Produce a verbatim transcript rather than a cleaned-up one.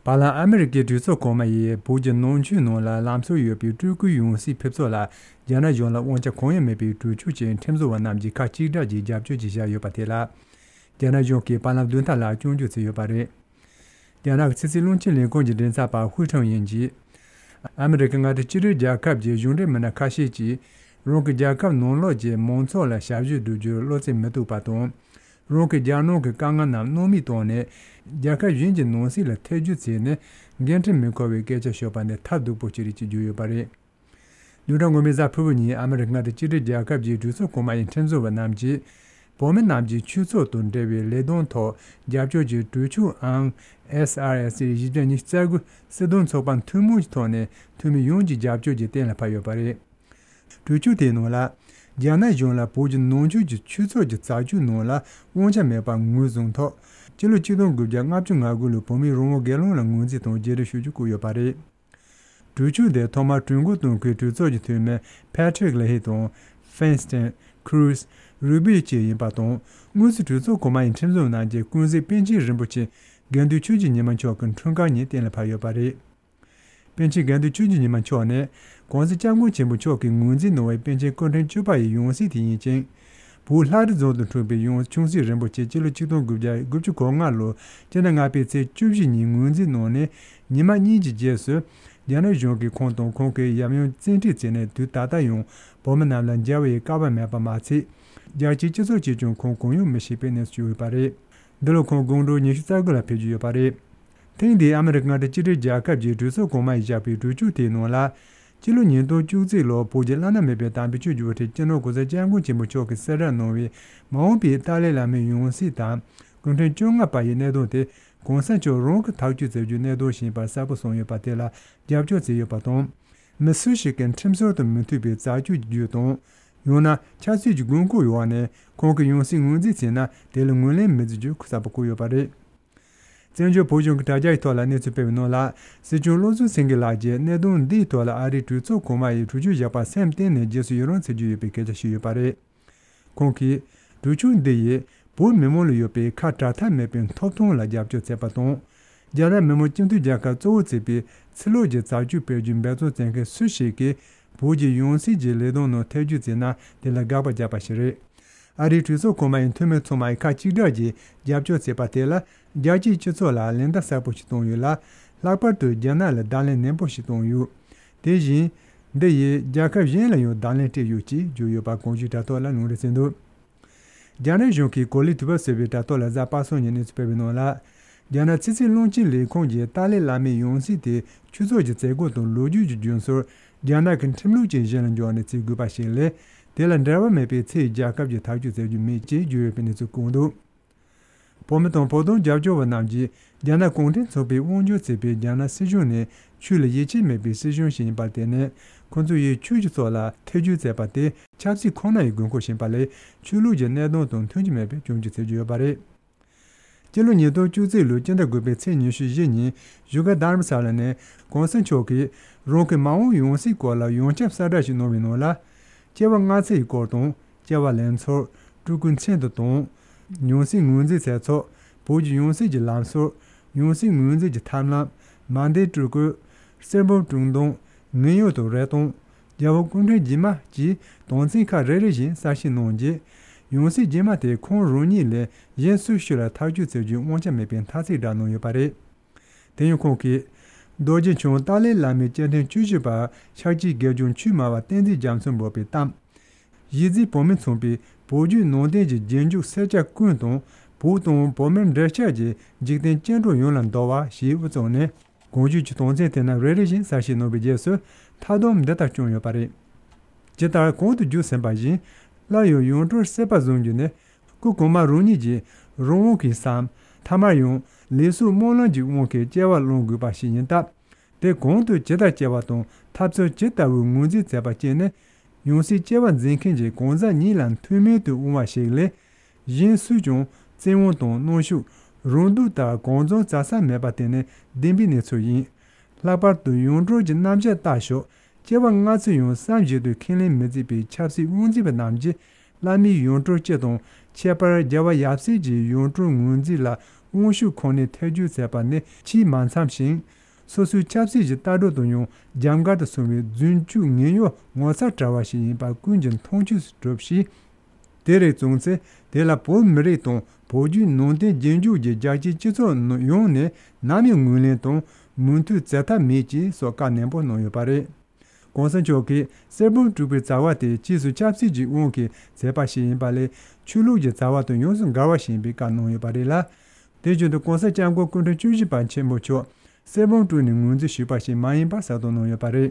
བར་ལམ་ཨ་མི་རི་ཀའི་གྲོས་ཚོགས་གོང་མ་ཡིས་བོད་ཀྱི་ནང་ཆོས་ནང་ལ་ལམ་སྲོལ་ཡོད་པའི་སྤྲུལ་སྐུའི་ཡང་སྲིད་ཕེབས་ཕྱོགས་ལ་རྒྱ་ནག་གཞུང་ལ་དབང་ཆ་གང་ཡང་མེད་པའི་གྲོས་ཆོད་ཅིག་ཁྲིམས་བཟོ་བ་རྣམས་ཀྱིས་ཁ་གཅིག་གྲགས་ཀྱིས་རྒྱབ་སྐྱོར་གྱིས་བཞག་ཡོད་པ་དེ་ལ། རྒྱ་ནག་གཞུང་གིས་བར་ལམ་བདུན་ཕྲག་ལ་སྐྱོན་བརྗོད་བྱས་ཡོད་པ་རེད། རྒྱ་ནག་གི་ཕྱི་སྲིད་བློན་ཆེན་ལས་ཁུངས་ཀྱི་མགྲིན་ཚབ་པ་ཧུའུ་ཁྲང་ཡིན་གྱིས། ཨ་མི་རི་ཀ་མངའ་སྡེ་གཅིག་སྒྲིལ་རྒྱལ་ཁབ་ཀྱི་གཞུང་འབྲེལ་མི་སྣ་ཁ་ཤས་ཀྱིས། རང་གི་རྒྱལ་ཁབ་ནང་ལོགས་ཀྱི་མང་ཚོགས་ལ་ཞབས་ཞུ་བསྒྲུབ་རྒྱུར་བློ་རྩེ་མི་གཏུག་པ་དང་། རང་གི་རྒྱལ་ནང་གི་དཀའ་ངལ་རྣམས་སྣང་མེད་བཏང་ནས། རྒྱལ་ཁབ་གཞན་གྱི་ནང་སྲིད་ལ་ཐེ་ཇུས་བྱས་ནས། འགན་འཁྲི་མི་འཁུར་བའི་སྐད་ཆ་ཤོད་པ་ནི་ཐབས་སྡུག་པོ་ཞིག་རེད་ཅེས་བརྗོད་ཡོད་པ་རེད། བདུན་ཕྲག་སྔོན་མའི་གཟའ་ཕུར་བུ་ཉིན་ཨ་མི་རི་ཀ་མངའ་སྡེ་གཅིག་སྒྲིལ་རྒྱལ་ཁབ་ཀྱི་གྲོས་ཚོགས་གོང་མ་ཡི་ཁྲིམས་བཟོ་བ་རྣམས་ཀྱིས། བོད་མི་རྣམས་ཀྱི་ཆོས་ཚོགས་དང་འབྲེལ་བའི་ལས་དོན་ཐོག་རྒྱབ་སྐྱོར་གྱི་གྲོས་ཆོད་ཨང་། S R S བཞི་བརྒྱ་ཉི་ཤུ་རྩ་དགུ་སྲིད་དོན་ཚོགས་པ་ཐུན་མོང་གི་ཐོག་ནས་འཐུས་མི་ཡོངས་ཀྱི་རྒྱབ་སྐྱོར་གྱིས་གཏན་ལ་ཕབ་ཡོད་པ་རེད། གྲོས་ཆོད་དེའི་ནང་ལ། རྒྱ་ནག་གཞུང་ལ་བོད་ཀྱི་ནང་ཆོས་ཀྱི་ཆོས་ཚོགས་ཀྱི་རྩ་ཆོད་ནང་ལ་དབང་ཆ་མེད་པ་ངོས་བཟུང་ཐོག་སྤྱི་ལོ་ཆིག་སྟོང་དགུ་བརྒྱ་ལྔ་བཅུ་ང་དགུ་ལོའི་བོད་མིའི་རང་དབང་སྒེར་ལངས་ལ་ངོས་འཛིན་དང་རྗེས་འབྲང་ཞུ་རྒྱུ་བཀོད་ཡོད་པ་རེད། གྲོས་ཆོད་དེ་ཐོག་མར་གྲོས་འགོ་གཏོང་མཁན་གྲོས་ཚོགས་ཀྱི་འཐུས་མི་Patrick Leahy དང་Feinstein། Cruz། Rubio བཅས་ཡིན་པ་དང་། དངོས་སུ་གྲོས་ཚོགས་གོང་མ་ཡི་ཁྲིམས་བཟོ་རྣམས་ཀྱིས་ཀུན་གཟིགས་པཎ་ཆེན་རིན་པོ་ཆེ་དགེ་འདུན་ཆོས་ཀྱི་ཉི་མ་མཆོག་གི་འཁྲུངས་སྐར་ཉིན་གཏན་ལ་ཕབ་ཡོད་པ་རེད། པཎ་ཆེན་དགེ་འདུན་ཆོས་ཀྱི་ཉི་མ་མཆོག་ནི། ༸གོང་ས་༸སྐྱབས་མགོན་ཆེན་པོ་མཆོག་གིས་ངོས་འཛིན་གནང་བའི་པཎ་ཆེན་སྐུ་ཕྲེང་བཅུ་པ་ཡི་ཡང་སྲིད་དེ་ཡིན་ཅིང་། བོད་ལྷ་རི་རྫོང་དུ་འཁྲུངས་པའི་ཡང་ཆུང་སྲིད་རིན་པོ་ཆེ་སྤྱི་ལོ་ཆིག་སྟོང་དགུ་བརྒྱ་དགུ་བཅུ་གོ་ལྔ་ལོར་སྤྱི་ཟླ་ལྔ་པའི་ཚེས་བཅུ་བཞི་ཉིན་ངོས་འཛིན་གནང་ནས། ཉི་མ་གཉིས་ཀྱི་རྗེས་སུ། རྒྱ་ནག་གཞུང་གིས་ཁོང་དང་ཁོང་གི་ཡབ་ཡུམ་བཙན་ཁྲིད་བྱས་ནས། དུས་ད་ལྟ་ཡང་བོད་མི་རྣམས་ལ་མཇལ་བའི་སྐལ་བ་མེད་པ་མ་ཚད། རྒྱལ་སྤྱིའི་སྤྱི་ཚོགས་ཀྱིས་ཀྱང་ཁོང་གང་ཡང་མི་ཤེས་པའི་གནས་སུ་གྱུར་ཡོད་པ་རེད། འདི་ལོ་ཁོང་དགུང་གྲངས་ཉི་ཤུ་རྩ་དགུ་ལ་ཕེབས་ཀྱི་ཡོད་པ་རེད། ཐེངས་འདིའི་ཨ་མི་རི་ཀ་མངའ་སྡེ་གཅིག་སྒྲིལ་རྒྱལ་ཁབ་ཀྱི་གྲོས་ཚོགས་གོང་མ་ཡིས་བཞག་པའི་གྲོས་ཆོད་དེའི་ནང་ལ། སྤྱི་ལོ་ཉིས་སྟོང་བཅུ་གཅིག་ལོར་བོད་ཀྱི་བླ་ན་མེད་པའི་དམ་པའི་ཆོས་བརྒྱུད་པ་སྤྱི་ནོར་༸གོང་ས་༸སྐྱབས་མགོན་ཆེན་པོ་མཆོག་གིས་གསལ་བསྒྲགས་གནང་བའི་མ་འོངས་པའི་ཏཱ་ལའི་བླ་མའི་ཡང་སྲིད་དང་། སྐུ་ཕྲེང་བཅོ་ལྔ་པ་ཡི་གནད་དོན་དེ་༸གོང་ས་མཆོག་རང་གིས་ཐག་གཅོད་མཛད་རྒྱུའི་གནད་དོན་ཞིག་ཡིན་པར་གསལ་པོ་གསུངས་ཡོད་པ་དེ་ལ་རྒྱབ་སྐྱོར་བྱས་ཡོད་པ་དང་། མི་སུ་ཞིག་གིས་ཁྲིམས་སྲོལ་དང་མི་མཐུན་པའི་རྩ་ཆོད་ཀྱི་བརྒྱུད་དང་། ཡང་ན་ཆབ་སྲིད་ཀྱི་དགོས་མཁོ་ཡོད་པ་ནས་ཁོང་གི་ཡང་སྲིད་ངོས་འཛིན་བྱས་ན། དེ་ལ་ངོས་ལེན་མི་བྱེད་རྒྱུ་གསལ་པོ་བཀོད་ཡོད་པ་རེད། བཙན་བྱོལ་བོད་གཞུང་གི་དྲ་རྒྱའི་ཐོག་ལ་གནས་ཚུལ་སྤེལ་བའི་ནང་ལ། སྲིད་སྐྱོང་བློ་བཟང་སེང་གེ་ལགས་ཀྱིས་གནད་དོན་འདིའི་ཐོག་ལ་ཨ་རིའི་གྲོས་ཚོགས་གོང་མ་ཡིས་གྲོས་ཆོད་བཞག་པར་སེམས་གཏིང་ནས་རྗེས་སུ་ཡི་རང་བྱེད་ཀྱི་ཡོད་པའི་སྐད་ཆ་བཤད་ཡོད་པ་རེད། ཁོང་གིས། གྲོས་ཆོད་འདི་ཡིས་བོད་མི་མང་ལ་ཡོད་པའི་ཁ་བྲལ་ཐབས་མེད་པའི་ཐོབ་ཐང་ལ་རྒྱབ་སྐྱོར་བྱས་པ་དང་། རྒྱ་ནག་མི་དམངས་སྤྱི་མཐུན་རྒྱལ་ཁབ་གཙོ་བོར་བརྩིས་པའི་ཕྱི་ལོགས་ཀྱི་རྩ་ཆོད་སྤེལ་རྒྱུའི་འབད་བརྩོན་བྱེད་མཁན་སུ་ཞིག་གིས་བོད་ཀྱི་ཡང་སྲིད་ཀྱི་ལས་དོན་ནང་ཐེ་ཇུས་བྱས་ན། དེ་ལ་དགག་པ་བརྒྱབ་པ་ཞིག་རེད། ཨ་རིའི་གྲོས་ཚོགས་གོང་མ་ཡི་འཐུས་མི་ཚང་མ་ཡིས་ཁ་གཅིག་གྲགས་ཀྱིས་རྒྱབ་སྐྱོར་བྱས་པ་དེ་ལ། རྒྱལ་སྤྱིའི་སྤྱི་ཚོགས་ལ་ལན་བརྡ་གསལ་པོ་ཞིག་བཏང་ཡོད་ལ། ལྷག་པར་དུ་རྒྱ་ནག་ལ་བརྡ་ལན་ནན་པོ་ཞིག་བཏང་ཡོད། དེ་བཞིན། འདི་ཡིས་རྒྱལ་ཁབ་གཞན་ལ་ཡང་བརྡ་ལན་སྤྲད་ཡོད་ཅེས་བརྗོད་ཡོད་པ་གོང་ཞུས་དྲ་ཐོག་ལ་ལུང་འདྲེན་བྱས་འདུག་རྒྱ་ནག་གཞུང་གིས་གོ་ལའི་དུས་བབ་ཟེར་བའི་དྲ་ཐོག་ལ་གཟའ་པ་སངས་ཉིན་གནས་ཚུལ་སྤེལ་བའི་ནང་ལ། རྒྱ་ནག་ཕྱི་སྲིད་བློན་ཆེན་ལས་ཁུངས་ཀྱིས་ཏཱ་ལའི་བླ་མའི་ཡང་སྲིད་དེ་ཆོས་ཕྱོགས་ཀྱི་མཛད་སྒོ་དང་ལོ་རྒྱུས་ཀྱི་རྒྱུན་སྲོལ། རྒྱ་ནག་གི་ཁྲིམས་ལུགས་ཀྱི་གཞི་ལ་འཇོག་ནས་བྱེད་དགོས་པ་ཞིག་ལས། དེ་ལ་འབྲེལ་བ་མེད་པའི་ཚེ་ཡི་རྒྱལ་ཁབ་ཀྱིས་ཐག་གཅོད་མཛད་རྒྱུ་མེད་ཅེས་བརྗོད་ཡོད་པའི་གནས་ཚུལ་བཀོད་འདུག་བོད་མི་དང་བོད་དོན་རྒྱབ་སྐྱོར་བ་རྣམས་ཀྱིས་རྒྱ་ནག་གུང་ཁྲན་ཚོགས་པས་དབང་སྒྱུར་བྱེད་པའི་རྒྱ་ནག་སྲིད་གཞུང་ནི་ཆོས་ལ་ཡིད་ཆེས་མེད་པའི་སྲིད་གཞུང་ཞིག་ཡིན་པར་བརྟེན་ནས། ཁོ་ཚོ་ཡིས་ཆོས་ཀྱི་ཕྱོགས་ལ་ཐེ་ཇུས་བྱས་པ་དེ་ཆབ་སྲིད་ཁོ་ན་ཡི་དགོས་མཁོ་ཞིག་ཡིན་པ་ལས། ཆོས་ལུགས་ཀྱི་གནད་དོན་དང་མཐུན་གྱི་མེད་པའི་སྐྱོན་བརྗོད་བྱེད་ཀྱི་ཡོད་པ་རེད། སྤྱི་ལོ་ཉིས་སྟོང་བཅུ་གཅིག་ལོའི་སྤྱི་ཟླ་དགུ་པའི་ཚེས་ཉི་ཤུ་བཞི་ཉིན་བཞུགས་སྒར་དྷ་རམ་ས་ལ་ནས་གོང་ས་མཆོག་གིས་རང་གི་མ་འོངས་ཡང་སྲིད་སྐོར་ལ་ཡོངས་ཁྱབ་གསལ་བསྒྲགས་ཤིག་གནང་བའི་ནང་ལ། སྐྱེ་བ་སྔ་ཕྱི་ཡི་སྐོར་དང་། སྐྱེ་བ་ལེན་ཚུལ། སྤྲུལ་སྐུའི་མཚན་དང་དང་། ཡང་སྲིད་ངོས་འཛིན་བྱེད་ཕྱོགས། བོད་ཀྱི་ཡང་སྲིད་ཀྱི་ལམ་སྲོལ། ཡང་སྲིད་ངོས་འཛིན་གྱི་ཐབས་ལམ། མ་འདས་སྤྲུལ་སྐུ། གསེར་འབུམ་དྲུང་འདོན། ངན་གཡོ་དང་རེ་སྟོང་། རྒྱལ་བ་སྐུ་ཕྲེང་རྗེས་མ་བཅས་དོན་ཚན་ཁག་རེ་རེ་བཞིན་གསལ་བཤད་གནང་རྗེས། ཡང་སྲིད་རྗེས་མ་དེ་ཁོང་རང་ཉིད་ལས་གཞན་སུ་ཞིག་ལ་ཐག་གཅོད་བྱེད་རྒྱུའི་དབང་ཆ་མེད་པའི་མཐའ་ཚིག་བསྒྲགས་གནང་ཡོད་པ་རེད། དེ་ཡང་ཁོང་གིས། རྡོ་རྗེ་འཆང་ཏཱ་ལའི་བླ་མའི་སྐྱེ་ཕྲེང་བཅུ་བཞི་པ་ཤཱཀྱའི་དགེ་སྦྱོང་ཆོས་སྨྲ་བ་བསྟན་འཛིན་རྒྱ་མཚོ་འབོད་པའི་གཏམ། གཞིས་རྩེའི་བོད་མི་ཚང་པའི་བོད་བརྒྱུད་ནང་བསྟན་གྱི་རྗེས་འཇུག་སེར་སྐྱ་ཀུན་དང་བོད་དང་བོད་མིར་འབྲེལ་ཆགས་ཀྱི་འཇིག་རྟེན་སྐྱེ་འགྲོ་ཡོངས་ལ་འདུད་པ་ཞེས་དབུ་བཙུགས་ནས། གོང་ཞུས་ཀྱི་དོན་ཚན་དེ་རྣམས་རེ་རེ་བཞིན་གསལ་བཤད་གནང་བའི་རྗེས་སུ་མཐའ་སྡོམ་འདི་ལྟར་བསྐྱངས་ཡོད་པ་རེད། ཇི་ལྟར་གོང་དུ་བརྗོད་ཟིན་པ་བཞིན། སླར་ཡང་ཡང་སྤྲུལ་སྲིད་པ་བཟུང་རྒྱུ་ནི། སྐུ་གོང་མ་རང་ཉིད་ཀྱི་རང་དབང་གིས་སམ། ཐ་མར་ཡང་ལུགས་སྲོལ་སྨོན་ལམ་གྱི་དབང་གིས་སྐྱེ་བ་བླང་དགོས་པ་ཞིག་ཡིན་སྟབས། དེ་གང་དུ་ཇི་ལྟར་སྐྱེ་བ་དང་ཐབས་ཚུལ་ཇི་ལྟ་བུའི་ངོས་འཛིན་མཛད་པ་བཅས་ནི། ཡང་སྲིད་སྐྱེ་བ་འཛིན་མཁན་གྱི་གང་ཟག་ཉིད་ལ་མཐུན་མིན་དུ་འོང་བ་ཞིག་ལས། གཞན་སུས་ཀྱང་བཙན་དབང་དང་གནོན་ཤུགས། རང་སྡུག་ལྟར་གང་བྱུང་བྱ་ས་མེད་པ་དེ་ནི་བདེན་པའི་གནས་ཚུལ་ཡིན། ལྷག་པར་དུ་ཡང་སྤྲུལ་གྱི་རྣམ་གཞག་ལྟ་ཞོག་སྐྱེ་བ་སྔ་ཕྱི་ཡང་བསམ་བཞིན་དུ་ཁས་ལེན་མི་བྱེད་པའི་ཆབ་སྲིད་དབང་འཛིན་པ་རྣམས་ཀྱིས་བླ་མའི་ཡང་སྤྲུལ་སྤྱི་དང་ཁྱད་པར་རྒྱལ་བ་ཡབ་སྲས་ཀྱི་ཡང་སྤྲུལ་ངོས་འཛིན་ལ་ དབང་ཤུགས་ཁོ་ནའི་ཐེ་བྱུས་མཛད་པ་ནི་ཆེས་མ་འཚམས་ཤིང་། སོ་སོའི་ཆབ་སྲིད་ཀྱི་ལྟ་གྲུབ་དང་ཡང་རྒྱབ་འགལ་དུ་སོང་བའི་རྫུན་སྐྱོན་ངན་གཡོ་ངོ་ཚ་བྲལ་བ་ཞིག་ཡིན་པ་ཀུན་གྱིས་མཐོང་ཆོས་སུ་གྲུབ་ཞིང་། དེ་རིགས་བཙུགས་ཚེ་དེ་ལ་བོད་མི་རིགས་དང་བོད་བརྒྱུད་ནང་བསྟན་རྗེས་འཇུག་གི་རྒྱལ་སྤྱིའི་སྤྱི་ཚོགས་ཡོངས་ནས་ནམ་ཡང་ངོས་ལེན་དང་མོས་མཐུན་མཛད་ཐབས་མེད་ཅེས་སོགས་བཀའ་ནན་པོ་གནང་ཡོད་པ་རེད། གོང་ས་མཆོག་གིས་གསེར་བུམ་དཀྲུགས་པའི་བྱ་བ་དེ་ཕྱིས་སུ་ཆབ་སྲིད་ཀྱི་དབང་གིས་མཛད་པ་ཞིག་ཡིན་པ་ལས་ཆོས་ལུགས་ཀྱི་བྱ་བ་དང་ཡོངས་སུ་འགལ་བ་ཞིག་ཡིན་པའི་བཀའ་གནང་ཡོད་པ་རེད་ལ། དེ་བཞིན་དུ་གོང་ས་སྐྱབས་མགོན་སྐུ་ཕྲེང་བཅུ་བཞི་པ་ཆེན་པོ་མཆོག་གསེར་བུམ་དཀྲུགས་ནས་ངོས་འཛིན་ཞུས་པ་ཞིག་མ་ཡིན་པ་གསལ་སྟོན་གནང་ཡོད་པ་རེད།